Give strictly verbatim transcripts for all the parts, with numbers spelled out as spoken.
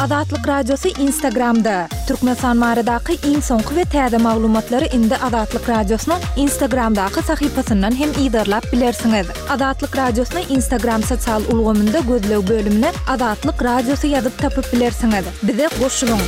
Azatlyk Radiosy Instagramda! Türkmenistan baradaky iň soňky we täze maglumatlary indi Azatlyk Radiosynyň Instagramdaky sahypasyndan hem yzarlap bilersiňiz. Azatlyk Radiosyny Instagram sosial ulgamynda gözleg bölümine Azatlyk Radiosy ýazyp tapyp bilersiňiz. Bize goşulyň!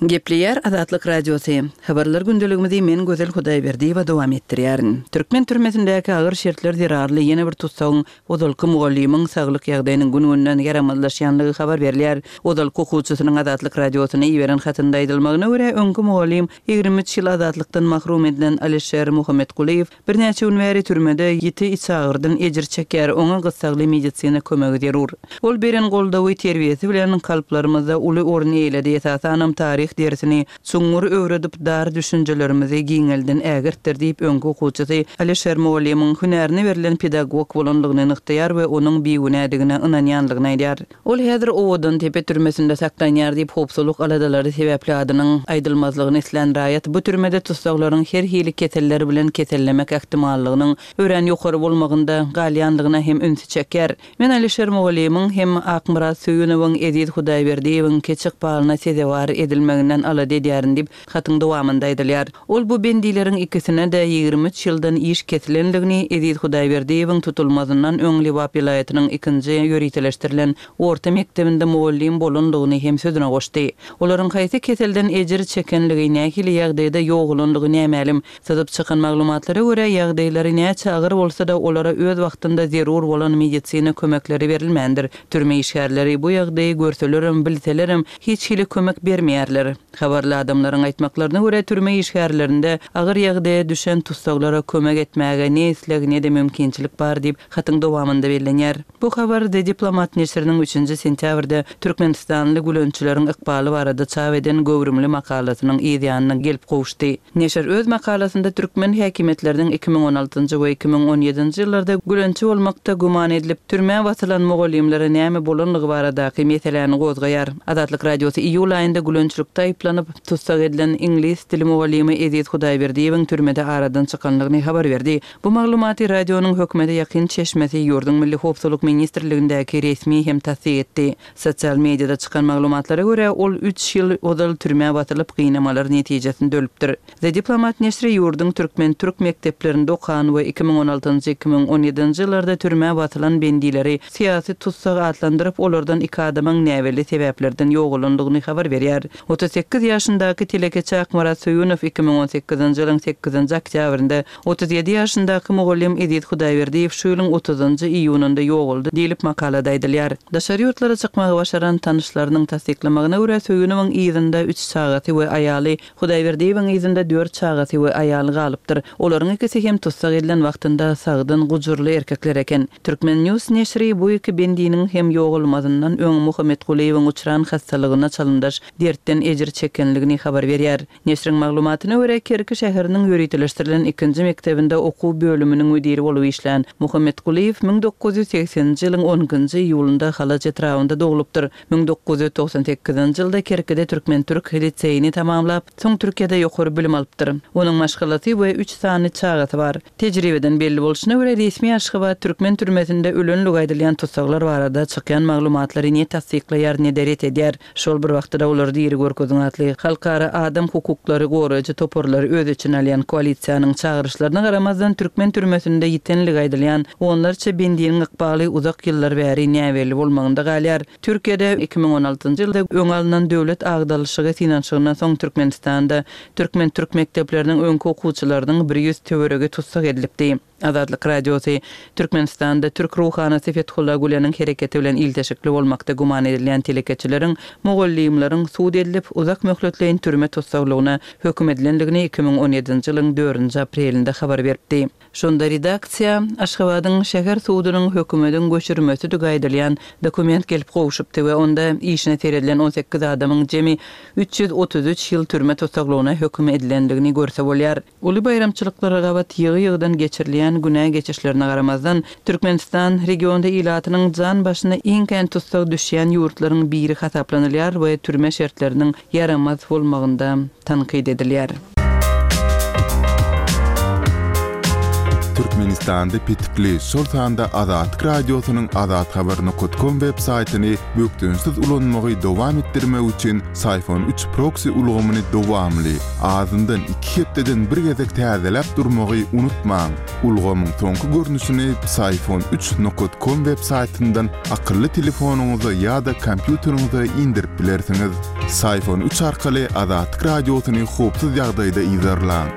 Gepleýär Azatlyk Radiosy. Habarlar gündeligimizi men Gözel Hudaýberdiýewa dowam etdirýärin. Türkmen türmesindäki agyr şertler zerarly ýene bir tussagyň, ozalky mugallymyň saglyk ýagdaýynyň gün-günden ýaramazlaşýanlygy habar berilýär. Ozalky okuwçysynyň Azatlyk Radiosyna iberen hatynda aýdylmagyna görä, öňki mugallym, ýigrimi üç ýyl azatlykdan mahrum edilen Alişer Muhammetgulyýew birnäçe gün bäri türmede ýiti içagyrdan ejir çekýär, oňa gyssagly medisina kömegi zerur. Ol beren goldawy, terbiýesi bilen kalplarymyzda uly orun eýeledi, esasanam taryh dersini çuňňur öwredip, dar düşünjelerimizi giňelden ägirtdir diýip, öňki okuwçysy Alişer mugallymyň hünärine berlen pedagog bolanlygyny nygtaýar we onuň bigünädigine ynanýanlygyny aýdýar. Ol häzir Owadantepe türmesinde saklanýar diýip, howpsuzlyk aladalary sebäpli adynyň aýdylmazlygyny islän raýat bu türmede tussaglaryň her hili keseller bilen kesellemek ähtimallygynyň örän ýokary bolmagynda galýanlygyna hem ünsi çekýär. Men Alişer mugallymyň hem Akmyrat Söýünowyň, Eziz Hudaýberdiýewiň keç ykbalyna sezewar edilmeginden alada edýärin diýip, hatyň dowamynda aýdylýar. Ol bu bendileriň ikisine-de ýigrimi üç ýyldan iş kesilenligini, Eziz Hudaýberdiýewiň tutulmazyndan öň Lebap welaýatynyň ikinji ýöriteleşdirilen orta mekdebinde mugallym bolanlygyny hem sözüne goşdy. Olaryň haýsy keselden ejir çekenligi, nähili ýagdaýda ýogalanlygy nämälim. Syzyp çykan maglumatlara görä, ýagdaýlary näçe agyr bolsa-da, olara öz wagtynda zerur bolan medisina kömekleri berilmändir. Türme işgärleri bu ýagdaýy görselerem, bilselerem, hiç hili kömek bermeýärler. Habarly adamlaryň aýtmaklaryna görä, türme işgärlerinde agyr ýagdaýa düşen tussaglara kömek etmäge ne isleg, ne-de mümkinçilik bar diýip, hatyň dowamynda bellenýär. Bu habar The Diplomat neşiriniň üçünji sentýabrda türkmenistanly gülençileriň ykbaly barada çap eden göwrümli makalasynyň yz ýanyna gelip gowuşdy. Neşir öz makalasynda türkmen häkimiýetleriniň iki müň on altynjy we iki müň on ýedinji ýyllarda gülençi bolmakda güman edilip, türmä basylan mugallymlara näme bolanlygy baradaky meseläni gozgaýar. Azatlyk Radiosy iýul aýynda gülençilikde aýyplanyp, tussag edilen iňlis dili mugallymy Eziz Hudaýberdiýewiň türmede aradan çykanlygyny habar berdi. Bu maglumaty radionyň hökümete ýakyn çeşmesi, ýurduň Milli howpsuzlyk ministrligindäki resmi hem tassyk etdi. Sosial mediada çykan maglumatlara görä, ol üç ýyl ozal türmä basylyp, gynamalar netijesinde ölüpdir. The Diplomat neşiri ýurduň türkmen-türk mekdeplerinde okan we iki müň on altynjy, iki müň on ýedinji ýyllarda türmä basylan bendileri syýasy tussag atlandyryp, olardan iki adamyň näbelli sebäplerden ýogalandygyny habar berýär. Otuz sekiz ýaşyndaky telekeçi Akmyrat Söýünow iki müň on sekizinji ýylyň sekizinji oktýabrynda, otuz ýedi ýaşyndaky mugallym Eziz Hudaýberdiýew şu ýylyň otuzynjy iýunynda ýogaldy diýlip, makalada aýdylýar. Daşary ýurtlara çykmagy başaran tanyşlarynyň tassyklamagyna görä, Söýünowyň yzynda üç çagasy we aýaly, Hudaýberdiýewiň yzynda dört çagasy we aýaly galypdyr. Olaryň ikisi hem tussag edilen wagtynda sagdyn, gujurly erkekler eken. Turkmen. News neşiri bu iki bendiniň hem ýogalmazyndan öň Muhammetgulyýewiň uçran hassalygyna çalymdaş dertden ejir çekenligini habar berýär. Neşiriň maglumatyna görä, Kerki şäheriniň ýöriteleşdirilen ikinji mekdebinde okuw bölüminiň müdiri bolup işlän Muhammetgulyýew müň dokuz ýüz segseninji ýylyň on ikinji iýulynda Halaç etrabynda doglupdyr. Müň dokuz ýüz togsan sekizinji ýylda Kerkide türkmen-türk liseýini tamamlap, soň Türkiýede ýokary bilim alypdyr. Onuň maşgalasy we üç sany çagasy bar. Tejribeden belli bolşuna görä, resmi Aşgabat türkmen türmesinde ölenligi aýdylýan tussaglar barada çykýan maglumatlary ne tassyklaýar, ne-de ret edýär. Şol bir wagtda-da olary diri görkeziň atly halkara adam hukuklary goraýjy toparlary öz içine alýan koalisiýanyň çagyryşlaryna garamazdan, türkmen türmesinde ýitenligi aýdylýan onlarça bendiniň ykbaly uzak ýyllar bäri näbelli bolmagynda galýar. Türkiýede iki müň on altynjy ýylda öňe alnan döwlet agdarylyşygy synanyşygyndan soň Türkmenistanda türkmen-türk mekdepleriniň öňki okuwçylarynyň bir ýüz töweregi tussag edilipdi. Azatlyk Radiosy, Türkmenistanda türk ruhanysy Fethullah Güleniň hereketi bilen ilteşikli bolmakda güman edilýän telekeçileriň, mugallymlaryň sud edilip, uzak möhletleýin türme tussaglygyna höküm edilendigini iki müň on ýedinji ýylyň dördünji aprelinde habar beripdi. Şonda redaksiýa Aşgabadyň şäher sudunyň hökümediň göçürmesidigi aýdylýan dokument gelip gowşupdy we onda işine seredilen on sekiz adamyň jemi üç ýüz otuz üç ýyl türme tussaglygyna höküm edilendigini görse bolýar. Uly baýramçylyklara gabat ýygy-ýygydan geçirilýän günä geçişlerine garamazdan, Türkmenistan regionda ilatynyň jan başyna iň kän tussag düşýän ýurtlaryň biri hasaplanylýar we türme şertleriniň ýaramaz bolmagynda tankyt edilýär. Türkmenistanda petikli, şol sanda Azatlyk Radiosynyň azathabar nokat kom web saýtyny bökdençsiz ulanmagy dowam etdirmek üçin Psiphon üç proksi ulgamyny dowamly, azyndan iki hepdeden bir gezek täzeläp durmagy unutmaň. Ulgamyň soňky görnüşini Psiphon üç nokat kom web saýtyndan akylly telefonyňyza ýa-da kompýuteriňize indirip bilersiňiz. Psiphon üç arkaly Azatlyk Radiosyny howpsuz ýagdaýda yzarlaň.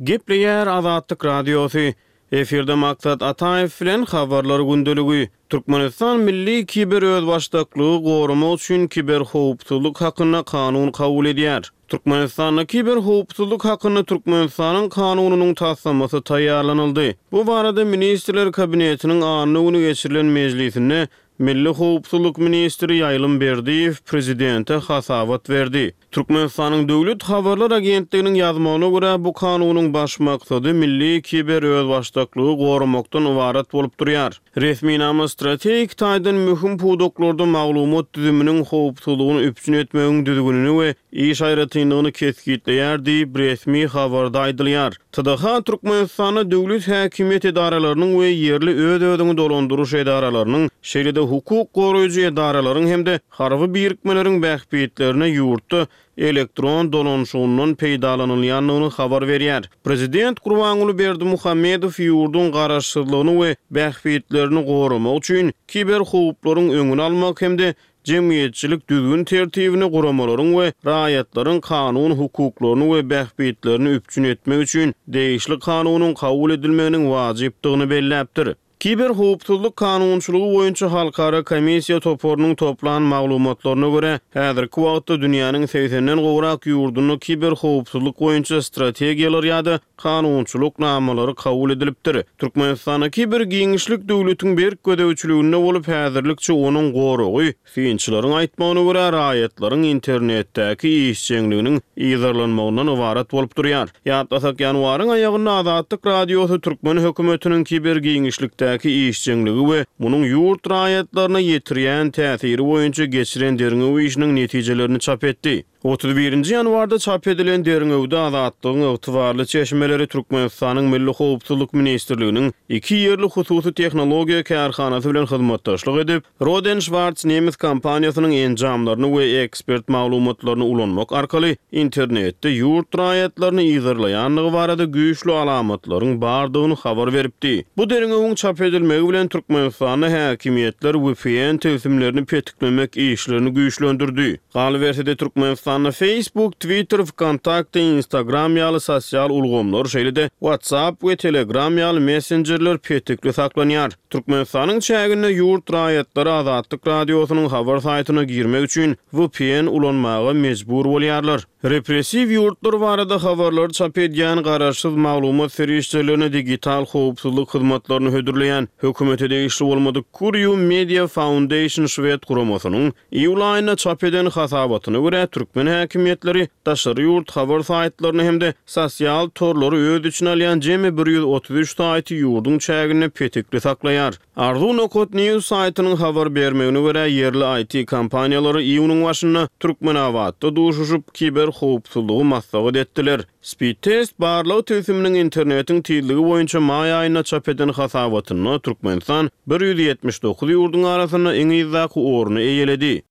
Gepleýär Azatlyk Radiosy. Efirde Maksat Ataýew bilen Habarlar gündeligi. Türkmenistan milli kiber özbaşdaklygy goramak üçin kiberhowpsuzlyk hakynda kanun kabul edýär. Türkmenistanda kiberhowpsuzlyk hakynda Türkmenistanyň kanunynyň taslamasy taýýarlanyldy. Bu barada Ministrler Kabinetiniň anna güni geçirilen mejlisinde Milli howpsuzlyk ministri Ýaýlym Berdiýew prezidente hasabat berdi. Türkmenistanyň Döwlet habarlar agentliginiň ýazmagyna görä, bu kanunyň baş maksady milli kiber özbaşdaklygy goramakdan ybarat bolup durýar. Resminama strategik taýdan möhüm pudaklarda maglumat düzüminiň howpsuzlygyny üpjün etmegiň düzgünini we iş aýratynlygyny kesgitleýär diýip resmi habarda aýdylýar. T D H Türkmenistanda döwlet häkimiýet edaralarynyň we ýerli öz-özüňi dolandyryş edaralarynyň, şeýle-de hukuk goraýjy edaralaryň hem-de harby birikmeleriň bähbitlerine ýurtda elektron dolanşygyndan peýdalanylýandygyny habar berýär. Prezident Gurbanguly Berdimuhamedow ýurduň garaşsyzlygyny we bähbitlerini goramak üçin kiberhowplaryň öňüni almak hem-de jemgyýetçilik düzgün tertibini guramalaryň we raýatlaryň kanun hukuklaryny we bähbitlerini üpjün etmek üçin degişli kanunyň kabul edilmeginiň wajypdygyny belläpdir. Kiberhowpsuzlyk kanunçylygy boýunça halkara komissiýa toparynyň toplan maglumatlaryna görä, häzirki wagtda dünýäniň segsenden gowrak ýurdunda kiberhowpsuzlyk boýunça strategiýalar ýa-da kanunçylyk namalary kabul edilipdir. Türkmenistanda kiber giňişlik döwletiň berk gözegçiliginde bolup, häzirlikçe onuň goragy synçylaryň aýtmagyna görä raýatlaryň internetdäki işjeňliginiň yzarlanmagyndan ybarat bolup durýar. Ýatlasak, ýanwaryň aýagynda Azatlyk Radiosy türkmen hökümetiniň kiber giňişlikdäki işjeňligi we munuň ýurt raýatlaryna ýetirýän täsiri boýunça geçiren derňew işiniň netijelerini çap etdi. otuz birinji ýanwarda çap edilen derňewde Azatlygyň ygtybarly çeşmeleri Türkmenistanyň Milli Howpsuzlyk Ministrliginiň iki ýerli hususy tehnologiýa kärhanasy bilen hyzmatdaşlyk edip, Roden Schwarz nemes kompaniýasynyň enjamlaryny we ekspert maglumatlaryny ulanmak arkaly internetde ýurt raýatlaryny yzarlaýandygy barada güýçli alamatlaryň bardygyny habar beripdi. Bu derňewiň çap edilmegi bilen Türkmenistanda häkimiýetler V P N tilsimlerini petiklemek işlerini güýçlendirdi. Galyberse-de Türkmenistanda Facebook, Twitter, VKontakte, Instagram ýaly sosial ulgamlar, şeýle-de WhatsApp we Telegram ýaly messenjerler petikli saklanýar. Türkmenistanyň çäginde ýurt raýatlary Azatlyk Radiosynyň habar saýtyna girmek üçin V P N ulanmaga mejbur bolýarlar. Repressiw ýurtlar barada habarlar çap edýän garaşsyz maglumat serişdelerini digital howpsuzlyk hyzmatlaryny hödürleýän hökümete degişli bolmadyk Curium Media Foundation şwed guramasynyň iýul aýynda çap eden hasabatyna görä türkmen häkimiýetleri daşary ýurt habar saýtlaryny hem-de sosial torlary öz içine alýan jemi bir ýüz otuz üç saýty ýurduň çäginde petikli saklaýar. Arzu nokat News saýtynyň habar bermegine görä ýerli I T kompaniýalary iýunyň başynda Türkmenabatda duşuşyp kiber howpsuzlygy maslahat etdiler. Speedtest barlag tilsiminiň internetiň tizligi boýunça maý aýynda çap eden hasabatynda Türkmenistan bir ýüz ýetmiş dokuz ýurduň arasynda iň yzdaky orny eýeledi.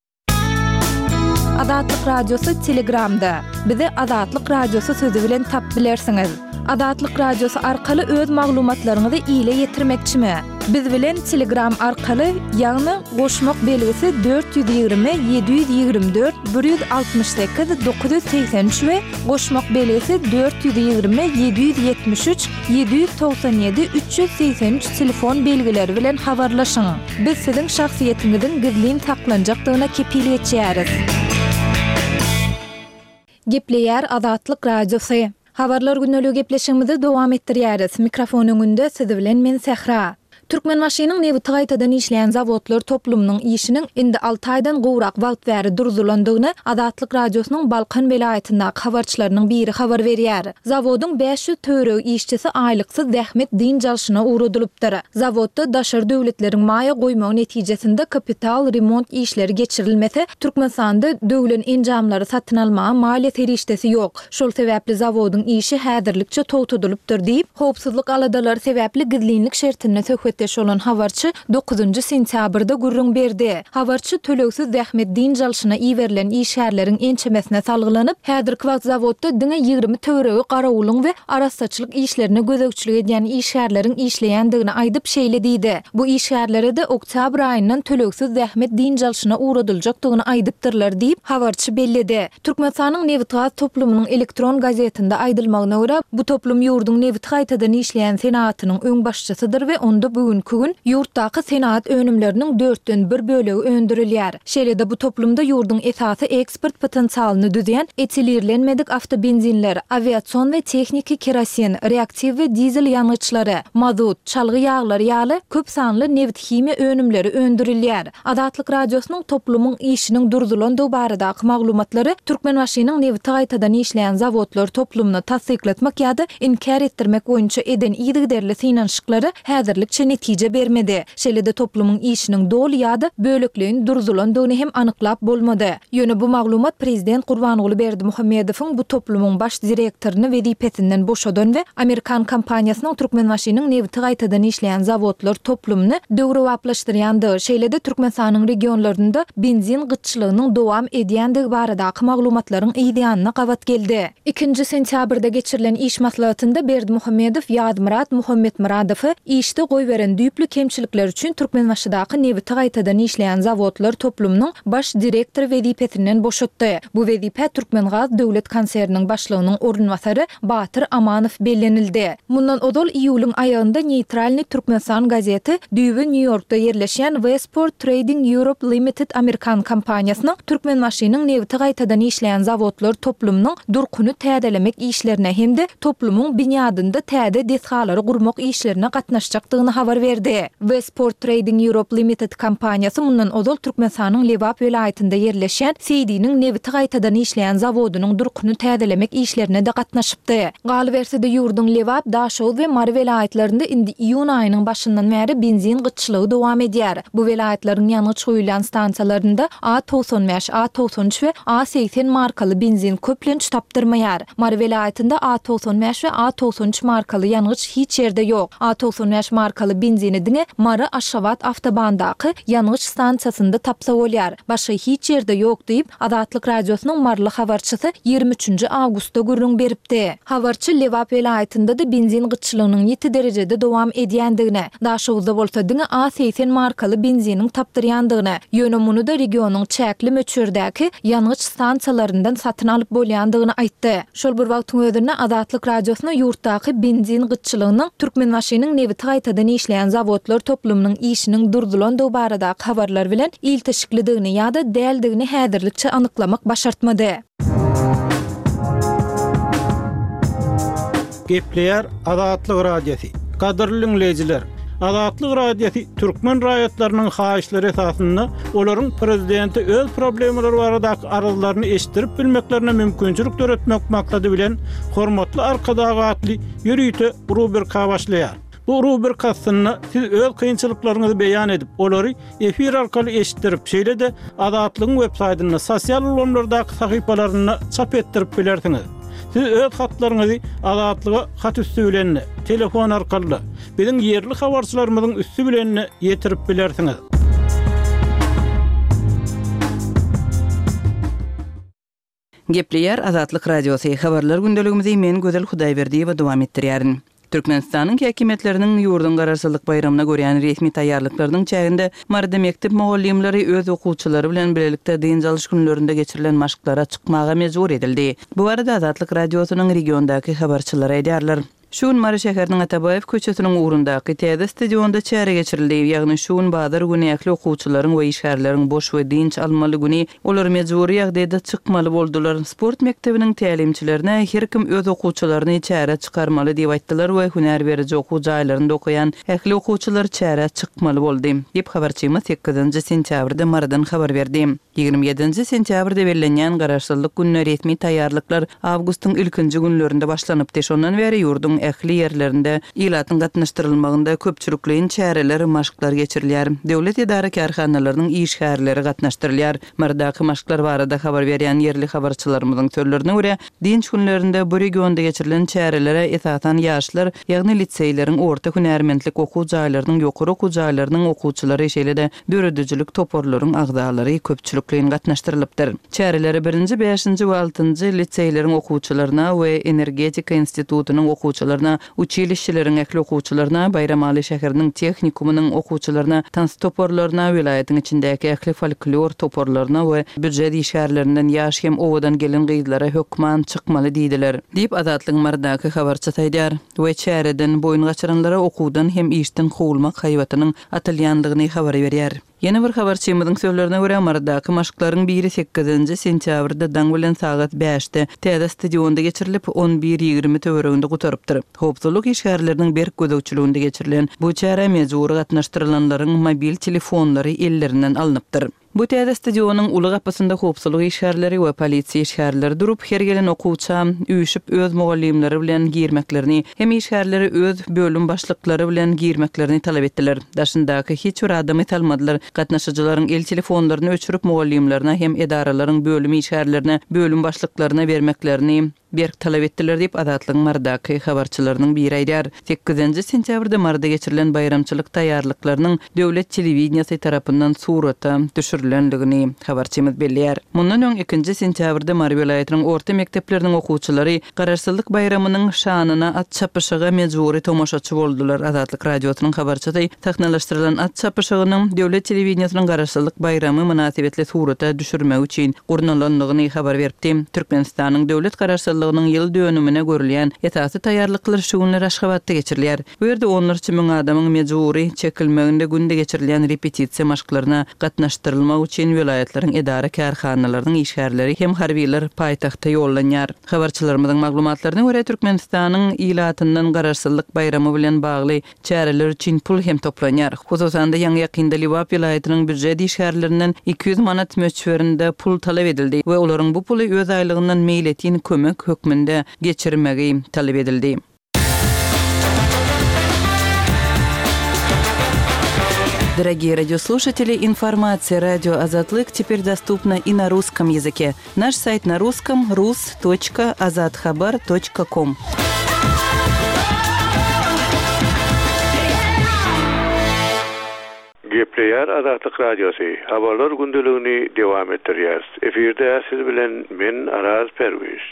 Azatlyk Radiosy Telegramda. Bizi Azatlyk Radiosy sözü bilen tap bilersiňiz. Azatlyk Radiosy arkaly öz maglumatlaryňyzy ile ýetirmekçimi? Biz bilen Telegram arkaly, ýagny goşmak belgisi dört ýüz ýigrimi, ýedi ýüz ýigrimi dört, bir ýüz altmyş sekiz, dokuz ýüz segsen üç we goşmak belgisi dört ýüz ýigrimi, ýedi ýüz ýetmiş üç, ýedi ýüz togsan ýedi, üç ýüz segsen üç telefon belgileri bilen habarlaşyň. Biz siziň şahsyýetiňiziň gizlin saklanjakdygyna kepil geçýäris. Gepleýär Azatlyk Radiosy. Habarlar günlügi gepleşigimizi dowam etdirýäris. Mikrofon öňünde siz bilen men Sähra. Türkmenbaşynyň nebiti gaýtadan işleýän zawodlar toplumynyň işiniň indi alty aýdan gowrak wagt bäri durzulandygyny Azatlyk Radiosynyň Balkan welaýatyndaky habarçylarynyň biri habar berýär. Zawodyň bäş ýüz töweregi işçisi aýlyksyz zähmet dynç alşyna ugradylypdyr. Zawodda daşary döwletleriň maýa goýmagy netijesinde kapital remont işleri geçirilmese, Türkmenistanda döwlen enjamlary satyn almaga maliýe serişdesi ýok. Şol sebäpli zawodyň işi häzirlikçe togtadylypdyr diýip, howpsuzlyk aladalary sebäpli gizlinlik şertinde söhbetdeş bolan habarçy dokuzynjy sentýabrda gürrüň berdi. Habarçy tölegsiz zähmet dynç alşyna iberilen işgärleriň ençemesine salgylanyp, häzirki wagt zawodda diňe ýigrimi töweregi garawulyň we arassaçylyk işlerine gözegçilik edýän işgärleriň işleýändigini aýdyp, şeýle diýdi, Bu işgärlere-de oktýabr aýyndan tölegsiz zähmet dynç alşyna ugradyljakdygyny aýdypdyrlar diýip, habarçy belledi. Türkmenistanyň nebitgaz toplumynyň elektron gazetinde aýdylmagyna görä, bu toplum ýurduň nebiti gaýtadan işleýän senagatynyň öňbaşçysydyr we onda bu günki gün ýurtdaky senagat önümleriniň dörtden bir bölegi öndürilýär. Şeýle-de bu toplumda ýurduň esasy eksport potensialyny düzýän etilirlenmedik awtobenzinler, awiasion we tehniki kerosin, reaktiw we dizel ýangyçlary, mazut, çalgy ýaglary ýaly köp sanly nebithimiýa önümleri öndürilýär. Azatlyk Radiosynyň toplumyň işiniň durzulandygy baradaky maglumatlary Türkmenbaşynyň nebiti gaýtadan işleýän zawodlar toplumyny tassyklatmak ýa-da inkär etdirmek boýunça eden yzygiderli synanyşyklary häzirlikçe netije bermedi. Şeýle-de toplumyň işiniň doly ýa-da bölekleýin durzulandygyny hem anyklap bolmady. Ýöne bu maglumat prezident Gurbanguly Berdimuhamedowyň bu toplumyň baş direktoryny wezipesinden boşadan we amerikan kompaniýasynyň Türkmenbaşynyň nebiti gaýtadan işleýän zawodlar toplumyny döwrebaplaşdyrýandygy, şeýle-de Türkmenistanyň regionlarynda benzin gytçylygynyň dowam edýändigi baradaky maglumatlaryň yz ýanyna gabat geldi. Ikinji sentýabrda geçirilen iş maslahatynda Berdimuhamedow Ýazmyrat Muhammetmyradowy işde goýberen düýpli kemçilikleri üçin Türkmenbaşydaky nebiti gaýtadan işleýän zawodlar toplumynyň baş direktory wezipesinden boşatdy. Bu wezipä Türkmengaz döwlet konserniniň başlygynyň orunbasary Batyr Amanow bellenildi. Mundan ozal iýulyň aýagynda Neýtralnyý Türkmenistan gazeti düýbi Nýu-Ýorkda ýerleşýän Westport Trading Europe Limited amerikan kompaniýasynyň Türkmenbaşynyň nebiti gaýtadan işleýän zawodlar toplumynyň durkuny täzelemek işlerine hem-de toplumyň binýadynda täze desgalary gurmak işlerine gatnaşjakdygyny habar berdi. Westport Trading Europe Limited kompaniýasy mundan ozal Türkmenistanyň Lebap welaýatynda ýerleşýän Seýdiniň nebiti gaýtadan işleýän zawodynyň durkuny täzelemek işlerine-de gatnaşypdy. Galyberse-de, ýurduň Lebap, Daşoguz we Mary welaýatlarynda indi iýun aýynyň başyndan bäri benzin gytçylygy dowam edýär. Bu welaýatlaryň ýangyç guýulýan stansiýalarynda A togsan bäş, A togsan üç we A segsen markaly benzin köplenç tapdyrmaýar. Mary welaýatynda A togsan bäş we A togsan üç markaly ýangyç hiç ýerde ýok. A togsan bäş markaly benzini diňe Mary-Aşgabat awtobandaky ýangyç stansiýasynda tapsa bolýar. Başga hiç ýerde ýok diýip, Azatlyk Radiosynyň maryly habarçysy ýigrimi üçünji awgustda gürrüň beripdi. Habarçy Lebap welaýatynda-da benzin gytçylygynyň ýiti derejede dowam edýändigini, Daşoguzda bolsa diňe A segsen markaly benziniň tapdyrýandygyny, ýöne muny-da regionyň çäkli möçberdäki ýangyç stansiýalaryndan satyn alyp bolýandygyny aýtdy. Şol bir wagtyň özünde Azatlyk Radiosyna ýurtdaky benzin gytçylygynyň Türkmenbaşynyň nebiti gaýtadan işleýän zawodlar toplumynyň işiniň durzulandygy baradaky habarlar bilen ilteşiklidigini ýa-da däldigini häzirlikçe anyklamak başartmady. Gepleýär Azatlyk Radiosy. Gadyrly diňleýjiler! Azatlyk Radiosy türkmen raýatlarynyň haýyşlary esasynda olaryň prezidente öz problemalary baradaky arzlaryny eşitdirip bilmeklerine mümkinçilik döretmek maksady bilen Hormatly Arkadag atly ýörite rubrika başlaýar. Bu rubrika astynda siz öz kynçylyklaryňyzy beýan edip, olary efir arkaly eşitdirip, şeýle-de Azatlygyň websaýtynda, sosial ulgamlardaky sahypalarynda çap etdirip bilersiňiz. Siz öz hatlaryňyzy Azatlyga hat üsti bilen-de, telefon arkaly-da, biziň ýerli habarçylarymyzyň üsti bilen-de ýetirip bilersiňiz. Gepleýär Azatlyk Radiosy, Habarlar gündeligimizi men Gözel Hudaýberdiýewa dowam etdirýärin. Türkmenistanyň häkimiýetleriniň ýurduň Garaşsyzlyk baýramyna görýän resmi taýýarlyklarynyň çäginde Maryda mekdep mugallymlary öz okuwçylary bilen bilelikde dynç alyş günlerinde geçirilen maşklara çykmaga mejbur edildi. Bu barada Azatlyk Radiosynyň regiondaky habarçylary aýdýarlar. Şu gün Mary şäheriniň Atabaýew köçesiniň ugrundaky täze stadionda çäre geçirildi. Ýagny şu gün bazar güni ähli okuwçylaryň we işgärleriň boş we dynç almaly güni, olar mejbury ýagdaýda çykmaly boldular. Sport mekdebiniň tälimçilerine her kim öz okuwçylaryny çärä çykarmaly diýip aýtdylar we hünär beriji okuw jaýlarynda okaýan ähli okuwçylar çärä çykmaly boldy, diýip habarçymyz sekizinji sentýabrda Marydan habar berdi. Ýigrimi ýedinji sentýabrda bellenýän Garaşsyzlyk gününe resmi taýýarlyklar awgustyň ilkinji günlerinde başlanypdy. Şondan bäri ýurduň ähli ýerlerinde ilatyň gatnaşdyrylmagynda köpçülikleýin çäreler, maşklar geçirilýär. Döwlet edara-kärhanalarynyň işgärleri gatnaşdyrylýar. Marydaky maşklar barada habar berýän ýerli habarçylarymyzyň sözlerine görä, dynç günlerinde bu regionda geçirilen çärelere esasan ýaşlar, ýagny liseýleriň, orta hünärmentlik okuw jaýlarynyň, ýokary okuw jaýlarynyň okuwçylary, şeýle-de döredijilik toparlaryň agzalary köpçülikleýin gatnaşdyrylypdyr. Çärelere birinji, bäşinji we altynjy liseýleriň okuwçylaryna we energetika institutynyň okuwçylaryna, uçilişşeleriň ähli okuwçylaryna, Baýramaly şäheriniň tehnikumynyň okuwçylaryna, tans toparlaryna, welaýatyň içindäki ähli folklor toparlaryna we býujet işgärlerinden ýaş hem owadan gelin-gyzlara hökman çykmaly diýdiler, diýip, Azatlygyň Marydaky habarçysy aýdýar we çäreden boýun gaçyranlara okuwdan hem işden kowulmak haýbatynyň atylýandygyny habar berýär. Ýene bir habarçymyzyň sözlerine görä, Marydaky maşklaryň biri sekizinji sentýabrda daň bilen sagat bäşde täze stadionda geçirilip, on bir ýigrimi töwereginde gutarypdyr. Howpsuzlyk işgärleriniň berk gözegçiliginde geçirilen bu çärä mejbury gatnaşdyrylanlaryň mobil telefonlary ellerinden alnypdyr. Bu täze stadionyň uly gapysynda howpsuzlyk işgärleri we polisiýa işgärleri durup, her gelen okuwça üýşüp öz mugallymlary bilen girmeklerini hem işgärleri öz bölüm başlyklary bilen girmeklerini talap etdiler. Daşyndaky hiç bir adamy salmadylar. Gatnaşyjylaryň el telefonlaryny öçürip mugallymlaryna hem edaralaryň bölüm işgärlerine, bölüm başlyklaryna bermeklerini berk talap etdiler diýip, Azatlygyň Marydaky habarçylarynyň biri aýdýar. Sekizinji sentýabrda Maryda geçirilen baýramçylyk taýýarlyklarynyň döwlet telewideniýesi tarapyndan surata düşürilendigini habarçymyz belleýär. Mundan öň ikinji sentýabrda Mary welaýatynyň orta mekdepleriniň okuwçylary Garaşsyzlyk baýramynyň şanyna at çapyşyga mejbury tomaşaçy boldular. Azatlyk Radiosynyň habarçysy sahnalaşdyrylan at çapyşygynyň döwlet telewideniýesiniň Garaşsyzlyk baýramy mynasybetli surata düşürmegi üçin gurnalandygyny habar beripdi. Türkmenistanyň döwlet Garaşsyzlygynyň ýyl dönümine görülýän esasy taýýarlyklar şu günler Aşgabatda geçirilýär. Bu ýerde onlarça müň adamyň mejbury çekilmeginde günde geçirilýän repetisiýa maşklaryna gatnaşdyrylmak üçin welaýatlaryň edara-kärhanalarynyň işgärleri hem harbylar paýtagta ýollanýar. Habarçylarymyzyň maglumatlaryna görä, Türkmenistanyň ilatyndan Garaşsyzlyk baýramy bilen bagly çäreler üçin pul hem toplanýar. Hususan-da, ýaňy-ýakynda Lebap welaýatynyň býujet işgärlerinden iki ýüz manat möçberinde pul talap edildi we olaryň bu puly öz aýlygyndan meýletin kömek hökmünde geçirmegi talap edildi. Дорогие радиослушатели, информация радио Азатлык теперь доступна и на русском языке. Наш сайт на русском рус точка азатхабар точка ком. Gepleýär Azatlyk Radiosy. Habarlar gündeligini dowam etdirýär. Efirde siz bilen men Araz Perwiş.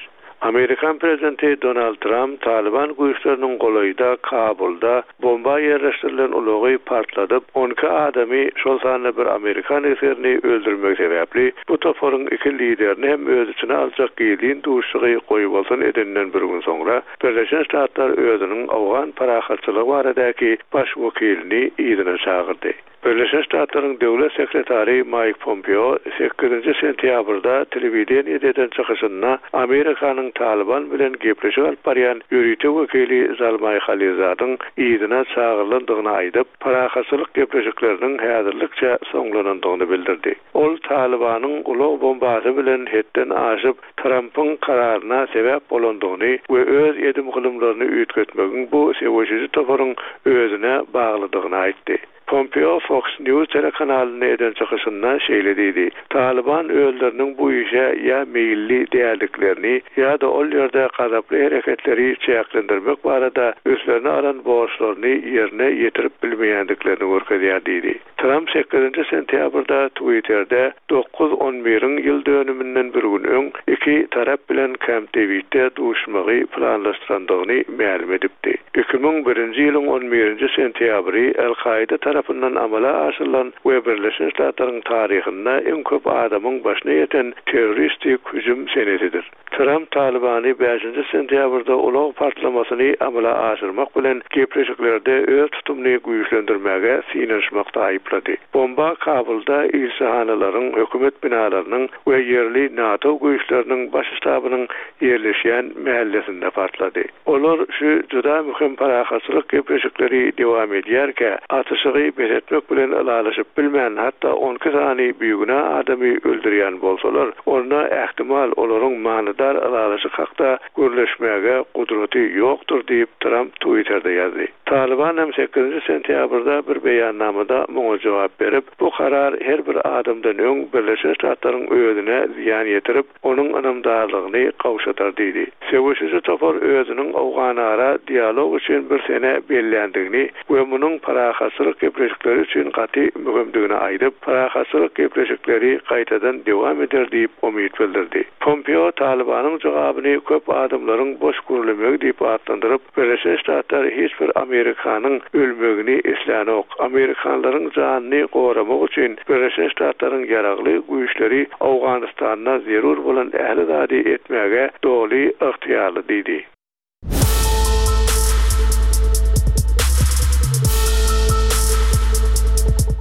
Amerikan prezidenti Donald Trump Taliban güýçleriniň golaýda Kabulda bomba ýerleşdirilen ulagy partladyp, on iki adamy, şol sanda bir Amerikan esgerini öldürmek sebäpli bu toparyň iki liderini hem öz içine aljak gizlin duşuşygy goýbolsun edenden bir gün soňra Birleşen Ştatlar özüniň Awgan parahatçylygy baradaky baş wekilini yzyna çagyrdy. Birleşen Ştatlaryň döwlet sekretary Mike Pompeo sekizinji sentýabrda telewideniýede eden çykyşynda Amerikanyň Taliban bilen gepleşik alyp barýan ýörite wekili Zalmay Khalizadyň yzyna çagyrylandygyny aýdyp, parahatçylyk gepleşikleriniň häzirlikçe soňlanandygyny bildirdi. Ol Talibanyň ulag bombasy bilen hetden aşyp Trumpyň kararyna sebäp bolandygyny we öz edim gylymlaryny üýtgetmegiň bu söweşiji toparyň özüne baglydygyny aýtdy. Pompeo Fox News telekanalyna eden çykyşynda şeýle diýdi: Taliban özleriniň bu işe ýa meýilli däldiklerini ýa-da ol ýerde gazaply hereketleri çäklendirmek barada üstlerine alan borçlaryny ýerine ýetirip bilmeýändiklerini görkezýär diýdi. Trump sekizinji sentýabrda Twitter'de dokuz on biriň ýyl dönüminden bir gün öň iki tarap bilen Camp David'de duşmagy planlaşdyrandygyny mälim edipdi. Iki müň birinji ýylyň on birinji sentýabry El-Kaida tarapyndan amala aşyrylan we Birleşen Ştatlaryň taryhynda iň köp adamyň başyna ýeten terroristik hüjüm senesidir. Tramp Talybany bäşinji sentýabrda ulag partlamasyny amala aşyrmak bilen gepleşiklerde öz tutumyny güýçlendirmäge synanyşmakda aýyplady. Bomba Kabulda ilçihanalaryň, hökümet binalarynyň we ýerli NATO güýçleriniň baş ştabynyň ýerleşýän mähellesinde partlady. Olar şu juda möhüm parahatçylyk gepleşikleri dowam edýärkä, atyşygy bes etmek bilen ylalaşyp bilmän, hatda on iki sany bigünä adamy öldürýän bolsalar, onda ähtimal olaryň manydar ylalaşyk hakda gürleşmäge gudraty ýokdur diýip, Tramp Twitterde ýazdy. Talyban hem sekizinji sentýabrda bir beýannamada muňa jogap berip, bu karar her bir adamdan öň Birleşen Ştatlaryň özüne zyýan ýetirip, onuň ynamdarlygyny gowşatar diýdi. Söweşiji topar özüniň Owganara dialog üçin bir sene belländigini we munuň parahatçylyk gepleşikleri üçin gaty möhümdigini aýdyp, parahatçylyk gepleşikleri gaýtadan dowam eder diýip umyt bildirdi. Pompeo Talybanyň jogabyny köp adamlaryň boş gürlemegi diýip atlandyryp, Birleşen Ştatlar hiç bir Amerikanyň ölmegini islänok. Amerikanlaryň janyny goramak üçin Birleşen Ştatlaryň ýaragly güýçleri Owganystanda zerur bolan ähli zady etmäge doly ygtyýarly diýdi.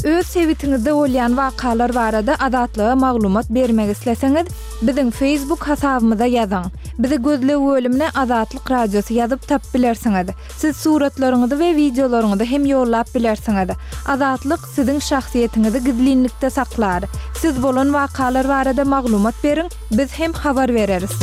Öz sebitiňizde bolýan wakalar barada Azatlyga maglumat bermek isleseňiz, biziň Facebook hasabymyza ýazyň. Bizi gözleg bölümine Azatlyk Radiosy ýazyp tap bilersiňiz. Siz suratlaryňyzy we wideolaryňyzy hem ýollap bilersiňiz. Azatlyk siziň şahsyýetiňizi gizlinlikde saklar. Siz bolan wakalar barada maglumat beriň, biz hem habar bereris.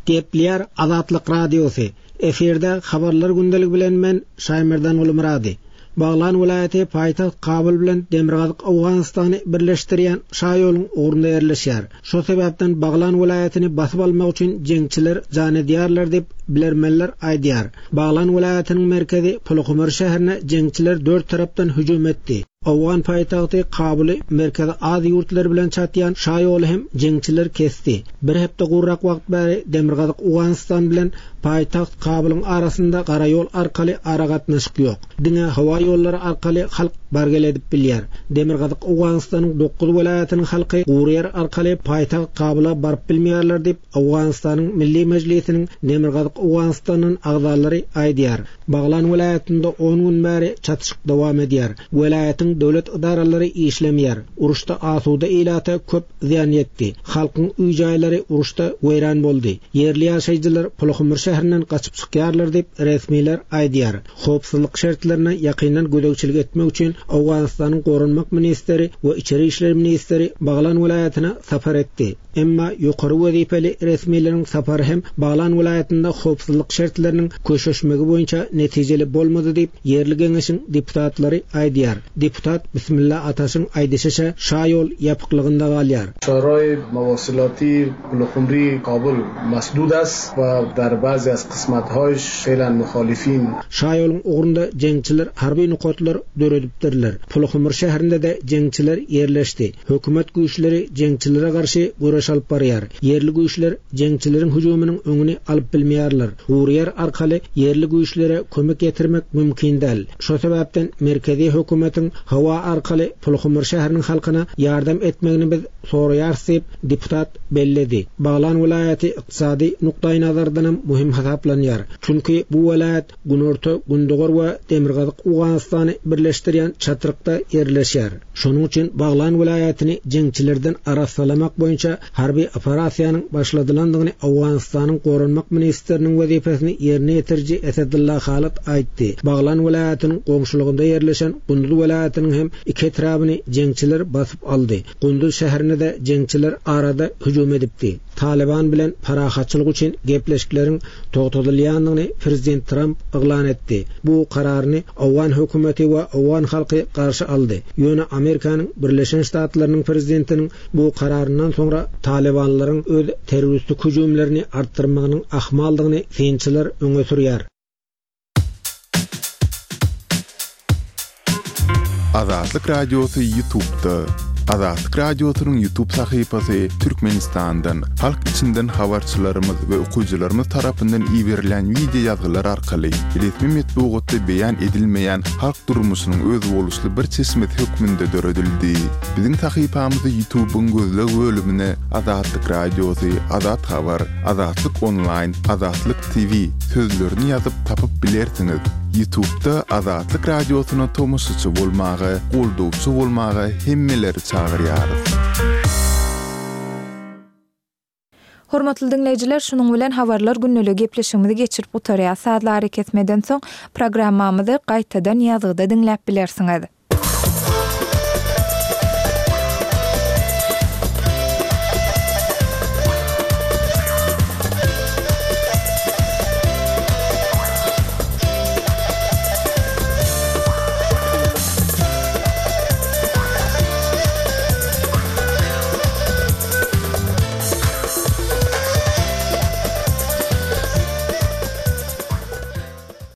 Gepleýär Azatlyk Radiosy. Efirde habarlar gündelik bilen men Şaýmerdan Gulmurady. Baglan welaýaty paýtagt Kabul bilen Demirgazyk Owganystany birleşdirýän Şaýoluň ugrunda ýerleşýär. Şo sebäpden Baglan welaýatyny basyp almak üçin jeňçiler jan edýärler diýip bilermenler aýdýar. Baglan welaýatynyň merkezi Puluhumur şäherine jeňçiler dört tarapdan hüjüm etdi. Owgan paýtagty Kabuly merkezi Aziýa ýurtlary bilen çatýan Şaýoly hem jeňçiler kesdi. Bir hepde gurrak wagt bäri Demirgazyk Owganystan bilen paýtagt Kabulyň arasynda gara ýol arkaly aragatnaşyk ýok. Diňe howa ýollary arkaly halk bargel edip bilýär. Demirgazyk Owganystanyň dokuz welaýatynyň halky gury ýer arkaly paýtagt Kabula baryp bilmeýärler diýip Owganystanyň Milli Mejlisiniň Demirgazyk Owganystanyň agzalary aýdýar. Baglan welaýatynda on gün bäri çatyşyk dowam edýär. Welaýatyň döwlet edaralary işlemeýär. Uruşda asuda ilata köp zyýan ýetdi. Halkyň öý jaýlary uruşda weýran boldy. Ýerli ýaşaýjylar Puluhumur şäherinden gaçyp çykýarlar diýip resmiler aýdýar. Howpsuzlyk şertlerine ýakyndan gözegçilik etmek üçin Owganystanyň Goranmak ministri we Içeri işler ministri Baglan welaýatyna sapar etdi. Emma ýokary wezipeli resmileriň sapary hem Baglan welaýatynda howpsuzlyk şertleriniň köşeşmegi boýunça netijeli bolmady diýip ýerli geňeşiň deputatlary aýdýar. Deputat Bismillah Ataşyň aýdyşyça Şaýol ýapyklygynda galýar. Şaray mواصلاتی Puluhumri Kabul masdud است و در بعضی از قسمت‌هایش فعلا مخالفین Şaýoluň ugrunda jeňçiler harby nokatlar döredipdirler. Puluhumur şäherinde de jeňçiler ýerleşdi. Hökümet güýçleri jeňçilere garşy göreş alyp barýar. Ýerli güýçler jeňçileriň hüjüminiň öňüni alyp bilmeýärler. Gury ýer arkaly ýerli güýçlere kömek getirmek mümkin däl. Şo sebäpden merkezi hökümetiň howa arkaly Puluhumur şäheriniň halkyna ýardam etmegini biz soraýarys diýip deputat belledi. Baglan welaýaty ykdysady nukdaý nazardan hem möhüm hasaplanýar. Çünki bu welaýat Günorta, Gündogar we Demirgazyk Owganystany birleşdirýän çatrykda ýerleşýär. Şonuň üçin Baglan welaýatyny jeňçilerden arassalamak boýunça harby operasiýanyň başladylandygyny Owganystanyň Goranmak ministriniň wezipesini ýerine ýetiriji Esedullah Halat aýtdy. Baglan welaýatynyň goňşulygynda ýerleşen Gunduz welaýatynyň hem iki etrabyny jeňçiler basyp aldy. Gunduz şäherine de jeňçiler arada hüjüm edipdi. Taliban bilen parahatçylyk üçin gepleşikleriň togtadylýandygyny Prezident Tramp yglan etdi. Bu kararyny Owgan hökümeti we Owgan halky garşy aldy. Ýöne Amerikanyň Birleşen Ştatlarynyň prezidentiniň bu kararyndan soňra Talibanlaryň öz terroristik hüjümlerini artdyrmagynyň ahmaldygyny synçylar öňe sürýär. Azatlyk Radiosy YouTube'da. Azatlyk Radiosynyň YouTube sahypasy Türkmenistandan, halk içinden habarçylarymyz we okyjylarymyz tarapyndan iberilýän wideo ýazgylar arkaly resmi metbugatda beýan edilmeýän halk durmuşynyň özboluşly bir çeşmesi hökmünde döredildi. Biziň sahypamyzy YouTube-yň gözleg bölümine Azatlyk Radiosy, Azat Habar, Azatlyk Onlaýn, Azatlyk TV sözlerini ýazyp tapyp bilersiňiz. Ýutubda Azatlyk Radiosyna tomaşaçy bolmaga, goldawçy bolmaga hemmeleri çagyrýarys. Hormatly diňleýjiler, şunuň bilen habarlar gündeligi gepleşigimizi geçirip gutarýas. Sazly arakesmeden soň programmamyzy gaýtadan ýazgyda diňläp bilersiňiz.